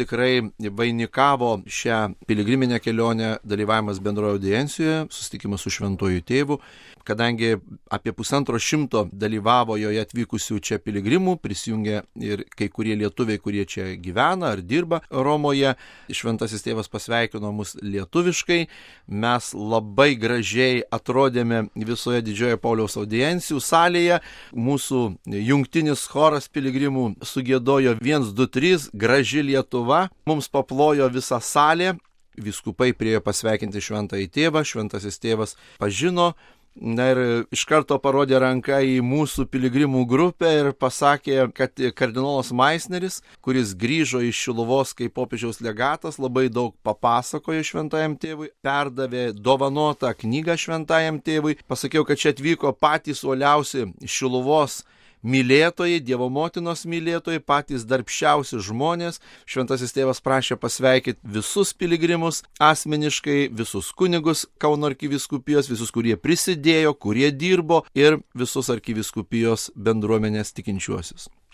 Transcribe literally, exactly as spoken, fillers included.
tikrai vainikavo šią piligriminę kelionę dalyvavimas bendroje audiencijoje, susitikimas su šventuoju tėvu, kadangi apie pusantro šimto dalyvavo joje atvykusių čia piligrimų, prisijungė ir kai kurie lietuviai, kurie čia gyvena ar dirba Romoje. Šventasis tėvas pasveikino mus lietuviškai, mes labai gražiai atrodėme visoje didžioje Pauliaus audiencijų salėje, mūsų jungtinis choras piligrimų sugiedojo vienas, du, trys, graži Lietuva, mums paplojo visa salė, vyskupai priėjo pasveikinti šventąjį tėvą, šventasis tėvas pažino, na ir iš karto parodė ranką į mūsų piligrimų grupę ir pasakė, kad kardinolas Maisneris, kuris grįžo iš Šiluvos kaip popiežiaus legatas, labai daug papasakojo šventajam tėvui, perdavė dovanotą knygą šventajam tėvui. Pasakiau, kad čia atvyko patys uoliausi Šiluvos mylėtojai, Dievo motinos mylėtojai, patys darbščiausi žmonės. Šventasis tėvas prašė pasveikinti visus piligrimus asmeniškai, visus kunigus Kauno arkivyskupijos, visus, kurie prisidėjo, kurie dirbo ir visus arkivyskupijos bendruomenės tikinčiuosius.